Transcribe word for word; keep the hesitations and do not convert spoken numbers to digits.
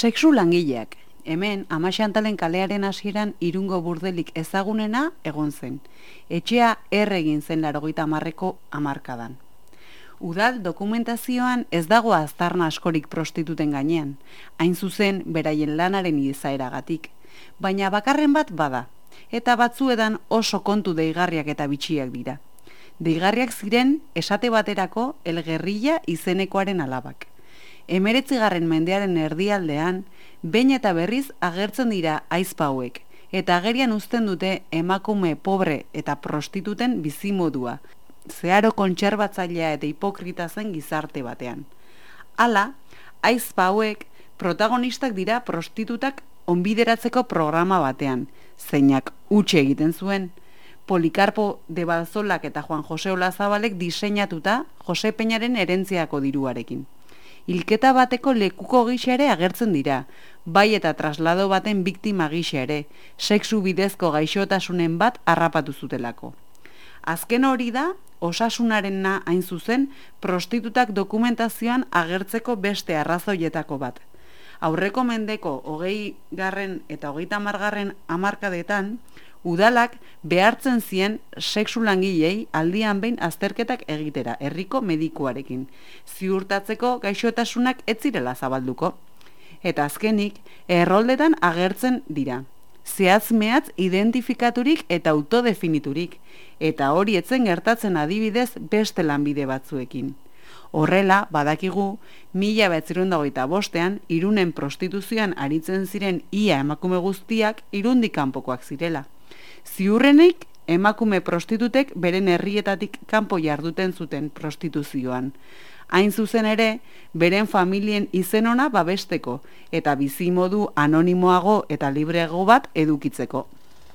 Sexu langileak. Hemen, Amaxantalen kalearen hasieran Irungo burdelik ezagunena egon zen. Etxea erregin zen laurogeita hamarreko hamarkadan. Udal dokumentazioan ez dago aztarna askorik prostituten gainean, hain zuzen beraien lanaren izaeragatik, baina bakarren bat bada, eta batzuedan oso kontu deigarriak eta bitxiak dira. Deigarriak ziren esate baterako El Guerrilla izenekoaren alabak. Emeretzigarren mendearen erdialdean, behin eta berriz agertzen dira aizpa hauek, eta agerian uzten dute emakume pobre eta prostituten bizimodua, zeharo kontserbatzailea eta hipokrita zen gizarte batean. Hala, aizpa hauek protagonistak dira prostitutak onbideratzeko programa batean, zeinak utxe egiten zuen, Polikarpo de Balzolak eta Juan Jose Olazabalek diseinatuta Jose Peñaren herentziako diruarekin. Hilketa bateko lekuko gisa ere agertzen dira, bai eta traslado baten biktima gisa ere, sexu bidezko gaixotasunen bat harrapatu zutelako. Azken hori da, osasunarena hain zuzen, prostitutak dokumentazioan agertzeko beste arrazoietako bat. Aurreko mendeko hogei garren eta hogeita hamargarren hamarkadetan, udalak behartzen zien sexu langilei aldian behin azterketak egitera, herriko medikuarekin, ziurtatzeko gaixotasunak ez zirela zabalduko. Eta azkenik, erroldetan agertzen dira. Zehatz-mehatz identifikaturik eta autodefiniturik, eta hori etzen gertatzen adibidez beste lanbide batzuekin. Horrela, badakigu, mila bederatziehun eta hogeita bostean, Irunen prostituzioan aritzen ziren ia emakume guztiak Irundik kanpokoak zirela. Ziurrenik, emakume prostitutek beren herrietatik kanpo jarduten zuten prostituzioan. Hain zuzen ere, beren familien izen ona babesteko eta bizimodu anonimoago eta libreago bat edukitzeko.